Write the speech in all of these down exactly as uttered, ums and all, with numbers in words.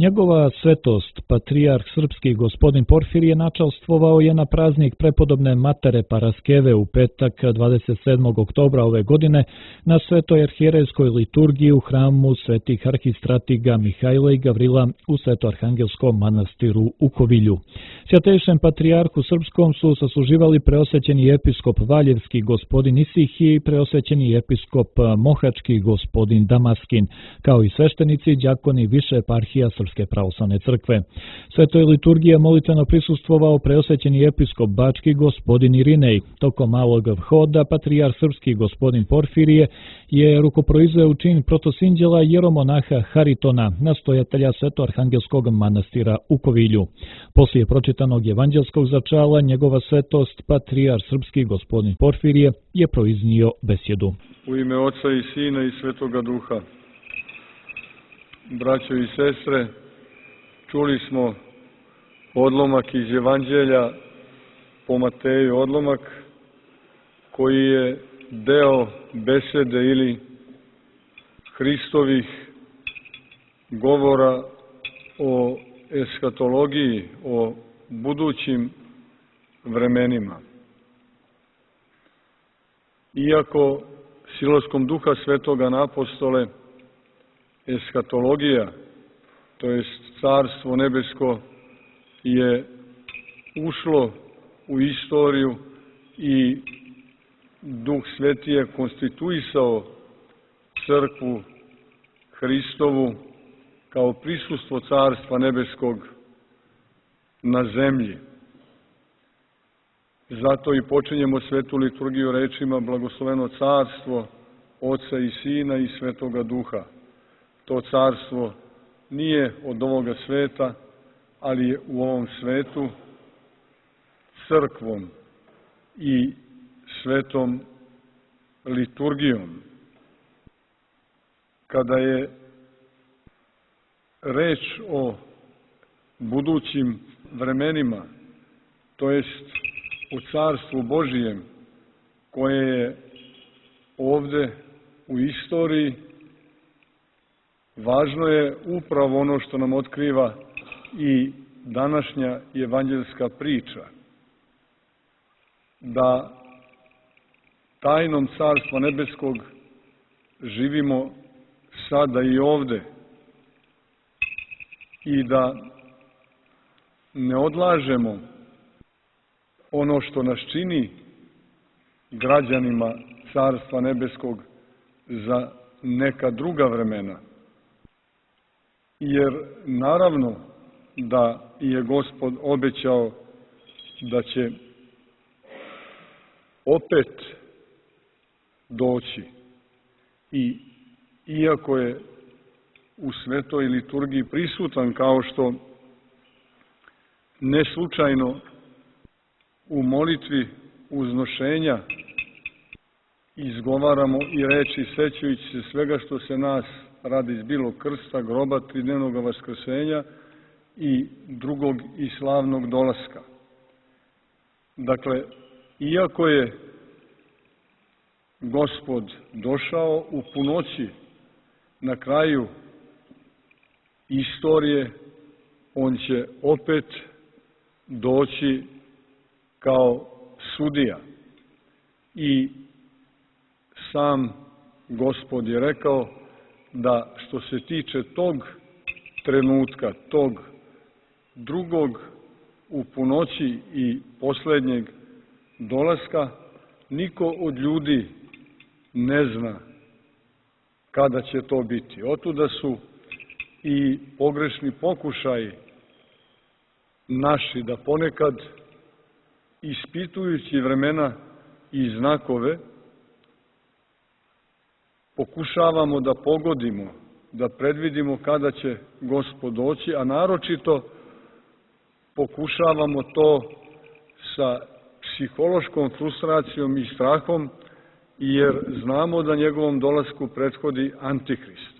Njegova svetost, patrijarh srpski gospodin Porfirije, načastvovao je na praznik prepodobne Matere Paraskeve u petak dvadeset sedmog oktobra ove godine na Svetoj arhijerejskoj liturgiji u hramu svetih arhistratiga Mihajla i Gavrila u Svetoarhangelskom manastiru u Kovilju. Svjatejšem patrijarhu srpskom su sasluživali preosvećeni episkop Valjevski gospodin Isihije i preosvećeni episkop Mohački gospodin Damaskin, kao i sveštenici, đakoni više eparhija Srpske pravoslavne crkve. Svetoj liturgiji molitveno prisustvovao preosvećeni episkop Bački gospodin Irinej. Tokom malog vhoda patrijarh srpski gospodin Porfirije je rukoproizveo u čin protosinđela jeromonaha Haritona, nastojatelja Svetoarhangelskog manastira u Kovilju. Poslije pročitanog evanđelskog začala, njegova svetost, patrijarh srpski gospodin Porfirije, je proiznio besjedu. U ime Oca i Sina i Svetoga Duha. Braćo i sestre, čuli smo odlomak iz Evanđelja po Mateju, odlomak koji je deo besede ili Hristovih govora o eskatologiji, o budućim vremenima. Iako siloskom Duha Svetoga na apostole eskatologija, to jest Carstvo nebesko, je ušlo u istoriju i Duh Sveti je konstituisao crkvu Hristovu kao prisustvo Carstva nebeskog na zemlji. Zato i počinjemo svetu liturgiju rečima blagosloveno carstvo Oca i Sina i Svetoga Duha. To carstvo nije od ovoga sveta, ali je u ovom svetu crkvom i svetom liturgijom. Kada je reč o budućim vremenima, to jest u carstvu Božijem, koje je ovde u istoriji, važno je upravo ono što nam otkriva i današnja evanđelska priča, da tajnom Carstva nebeskog živimo sada i ovde i da ne odlažemo ono što nas čini građanima Carstva nebeskog za neka druga vremena. Jer naravno da je Gospod obećao da će opet doći i iako je u svetoj liturgiji prisutan, kao što ne slučajno u molitvi uznošenja izgovaramo i reči sećajući se svega što se nas radi iz bilog krsta, groba, tridnevnog vaskrsenja i drugog i slavnog dolaska. Dakle, iako je Gospod došao u punoći na kraju istorije, on će opet doći kao sudija. I sam Gospod je rekao da što se tiče tog trenutka, tog drugog u punoći i posljednjeg dolaska, niko od ljudi ne zna kada će to biti. Otuda su i pogrešni pokušaji naši da ponekad, ispitujući vremena i znakove, pokušavamo da pogodimo, da predvidimo kada će Gospod doći, a naročito pokušavamo to sa psihološkom frustracijom i strahom, jer znamo da njegovom dolasku prethodi Antihrist.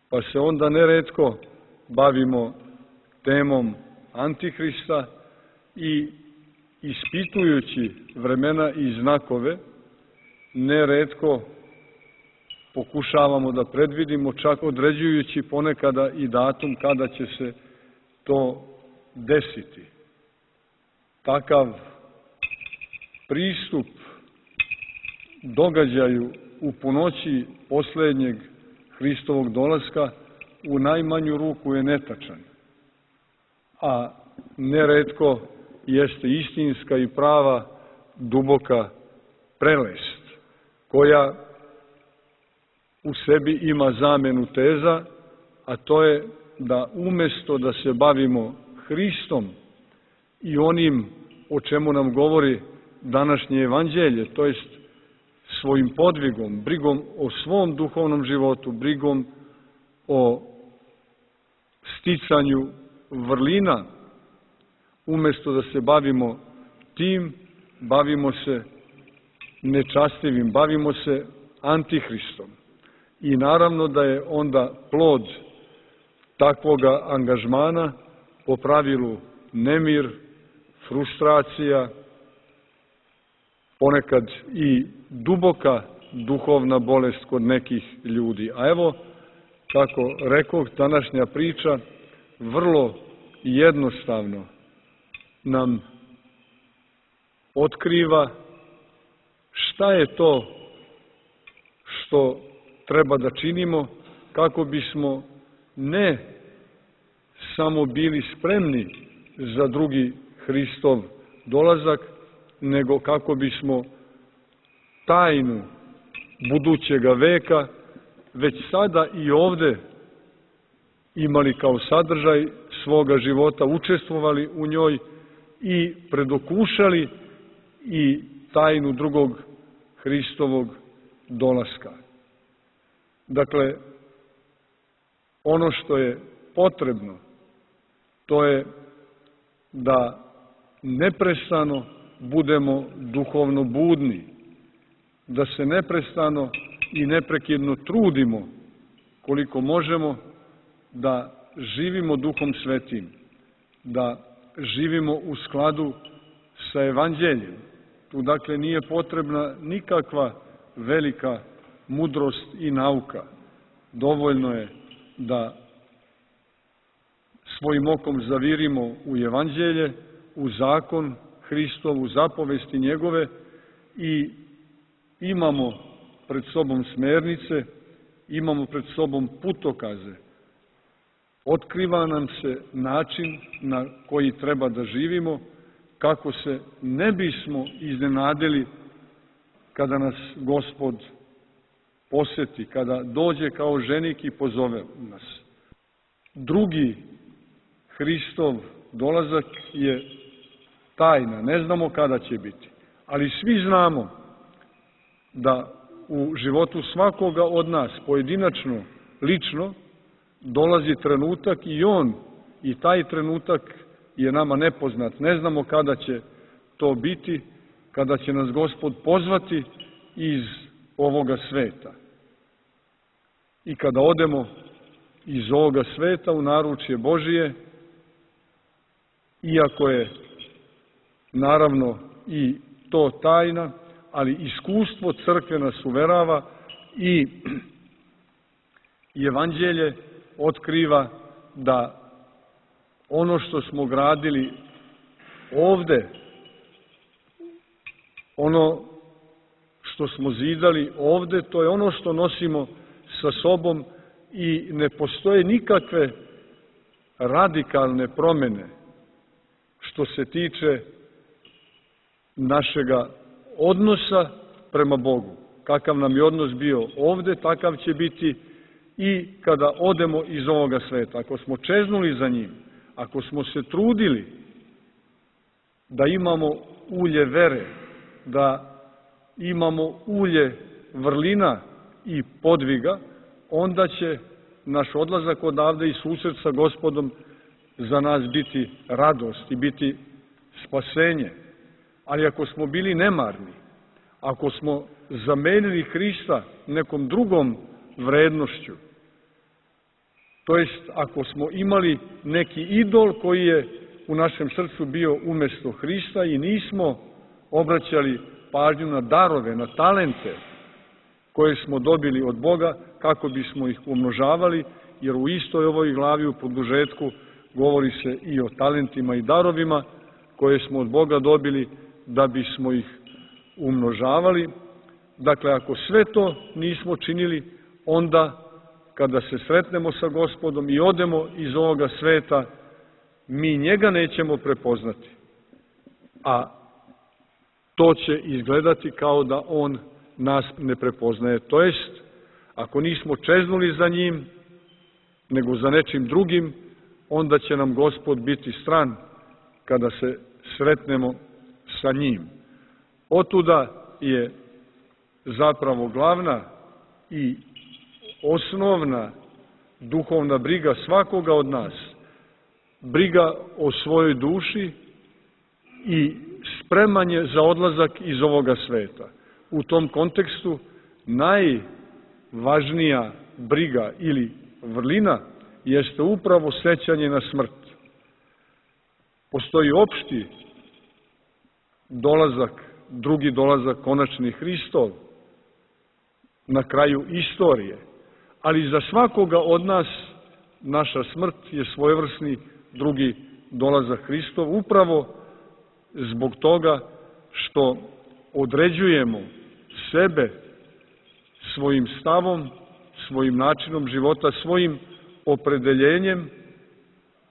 Pa se onda neretko bavimo temom Antihrista i ispitujući vremena i znakove, neretko pokušavamo da predvidimo, čak određujući ponekada i datum kada će se to desiti. Takav pristup događaju u punoći posljednjeg Hristovog dolaska u najmanju ruku je netačan, a neretko jeste istinska i prava duboka prelest, koja u sebi ima zamenu teza, a to je da umjesto da se bavimo Hristom i onim o čemu nam govori današnje evanđelje, to jest svojim podvigom, brigom o svom duhovnom životu, brigom o sticanju vrlina, umjesto da se bavimo tim, bavimo se nečastivim, bavimo se antihristom. I naravno da je onda plod takvoga angažmana po pravilu nemir, frustracija, ponekad i duboka duhovna bolest kod nekih ljudi. A evo, kako rekoh, današnja priča vrlo jednostavno nam otkriva šta je to što treba da činimo kako bismo ne samo bili spremni za drugi Hristov dolazak, nego kako bismo tajnu budućega veka već sada i ovde imali kao sadržaj svoga života, učestvovali u njoj i predokušali i tajnu drugog Hristovog dolaska. Dakle, ono što je potrebno, to je da neprestano budemo duhovno budni, da se neprestano i neprekidno trudimo koliko možemo da živimo Duhom Svetim, da živimo u skladu sa evanđeljem. Tu dakle nije potrebna nikakva velika mudrost i nauka. Dovoljno je da svojim okom zavirimo u evanđelje, u zakon Hristov, u zapovesti njegove i imamo pred sobom smernice, imamo pred sobom putokaze. Otkriva nam se način na koji treba da živimo, kako se ne bismo iznenadili kada nas Gospod poseti, kada dođe kao ženik i pozove nas. Drugi Hristov dolazak je tajna, ne znamo kada će biti, ali svi znamo da u životu svakoga od nas, pojedinačno, lično, dolazi trenutak i on, i taj trenutak je nama nepoznat. Ne znamo kada će to biti, kada će nas Gospod pozvati iz ovoga sveta. I kada odemo iz ovoga sveta u naručje Božije, iako je naravno i to tajna, ali iskustvo crkve nas uverava i evanđelje otkriva da ono što smo gradili ovde, ono što smo zidali ovde, to je ono što nosimo sa sobom i ne postoje nikakve radikalne promene što se tiče našega odnosa prema Bogu. Kakav nam je odnos bio ovde, takav će biti i kada odemo iz ovoga sveta. Ako smo čeznuli za njim, ako smo se trudili da imamo ulje vere, da imamo ulje vrlina i podviga, onda će naš odlazak odavde i susret sa Gospodom za nas biti radost i biti spasenje. Ali ako smo bili nemarni, ako smo zamenili Hrista nekom drugom vrednošću, to jest ako smo imali neki idol koji je u našem srcu bio umjesto Hrista i nismo obraćali pažnju na darove, na talente koje smo dobili od Boga kako bismo ih umnožavali, jer u istoj ovoj glavi u produžetku govori se i o talentima i darovima koje smo od Boga dobili da bismo ih umnožavali. Dakle, ako sve to nismo činili, onda kada se sretnemo sa Gospodom i odemo iz ovoga sveta, mi njega nećemo prepoznati. A to će izgledati kao da on nas ne prepoznaje. To jest, ako nismo čeznuli za njim, nego za nečim drugim, onda će nam Gospod biti stran kada se sretnemo sa njim. Otuda je zapravo glavna i osnovna duhovna briga svakoga od nas, briga o svojoj duši i spremanje za odlazak iz ovoga sveta. U tom kontekstu najvažnija briga ili vrlina jeste upravo sećanje na smrt. Postoji opšti dolazak, drugi dolazak, konačni Hristov, na kraju istorije. Ali za svakoga od nas naša smrt je svojevrsni drugi dolazak Hristov, upravo zbog toga što određujemo sebe svojim stavom, svojim načinom života, svojim opredeljenjem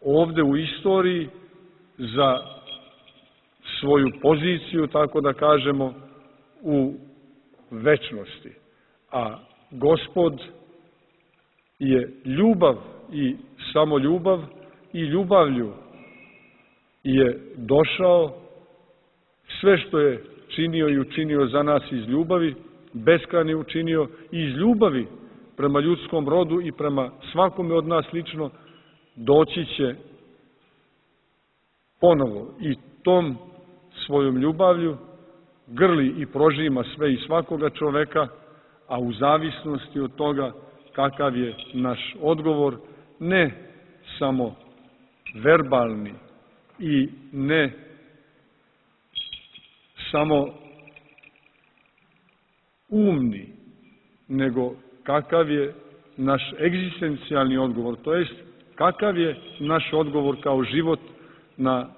ovde u istoriji za svoju poziciju, tako da kažemo, u večnosti. A Gospod je ljubav i samo ljubav i ljubavlju je došao, sve što je činio i učinio za nas iz ljubavi, beskrajno učinio i iz ljubavi prema ljudskom rodu i prema svakome od nas lično, doći će ponovo i tom svojom ljubavlju grli i prožima sve i svakoga čoveka, a u zavisnosti od toga kakav je naš odgovor, ne samo verbalni i ne samo umni, nego kakav je naš egzistencijalni odgovor, to jest kakav je naš odgovor kao život na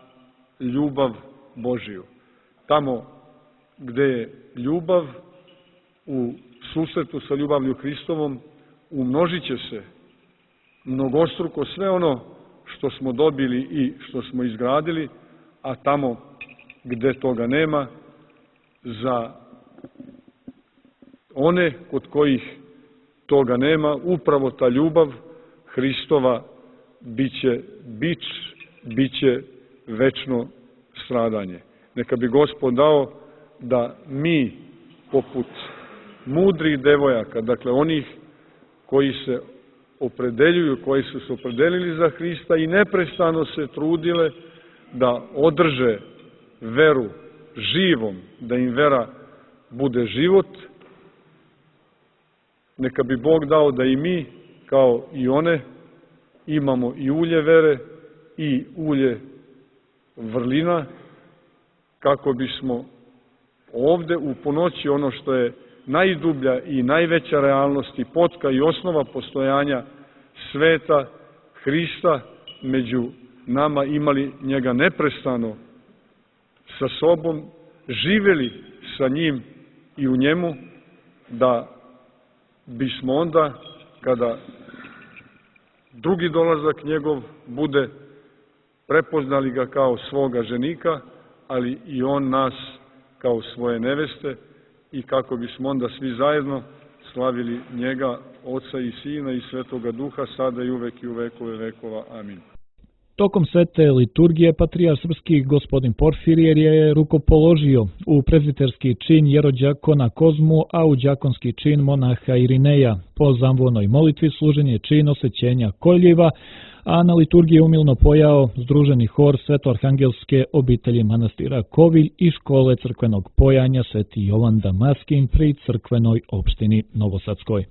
ljubav Božiju. Tamo gde je ljubav u susretu sa ljubavlju Hristovom, umnožit će se mnogostruko sve ono što smo dobili i što smo izgradili, a tamo gde toga nema, za one kod kojih toga nema, upravo ta ljubav Hristova biće bič, biće večno stradanje. Neka bi Gospod dao da mi, poput mudrih devojaka, dakle onih koji se opredeljuju, koji su se opredelili za Hrista i neprestano se trudile da održe veru živom, da im vera bude život, neka bi Bog dao da i mi, kao i one, imamo i ulje vere i ulje vrlina, kako bismo ovde u ponoći ono što je najdublja i najveća realnost i potka i osnova postojanja sveta Hrista među nama, imali njega neprestano sa sobom, živeli sa njim i u njemu, da bismo onda, kada drugi dolazak njegov bude, prepoznali ga kao svoga ženika, ali i on nas kao svoje neveste, i kako bismo onda svi zajedno slavili njega, Oca i Sina i Svetoga Duha, sada i uvek i u vekove vekova. Amin. Tokom svete liturgije patrijarh srpski gospodin Porfirije je rukopoložio u prezbiterski čin jerođakona Kozmu, a u đakonski čin monaha Irineja. Po zamvonoj molitvi služen je čin osvećenja koljiva, a na liturgiji je umilno pojao združeni hor Svetoarhangelske obitelji manastira Kovilj i škole crkvenog pojanja Sveti Jovan Damaskin pri crkvenoj opštini Novosadskoj.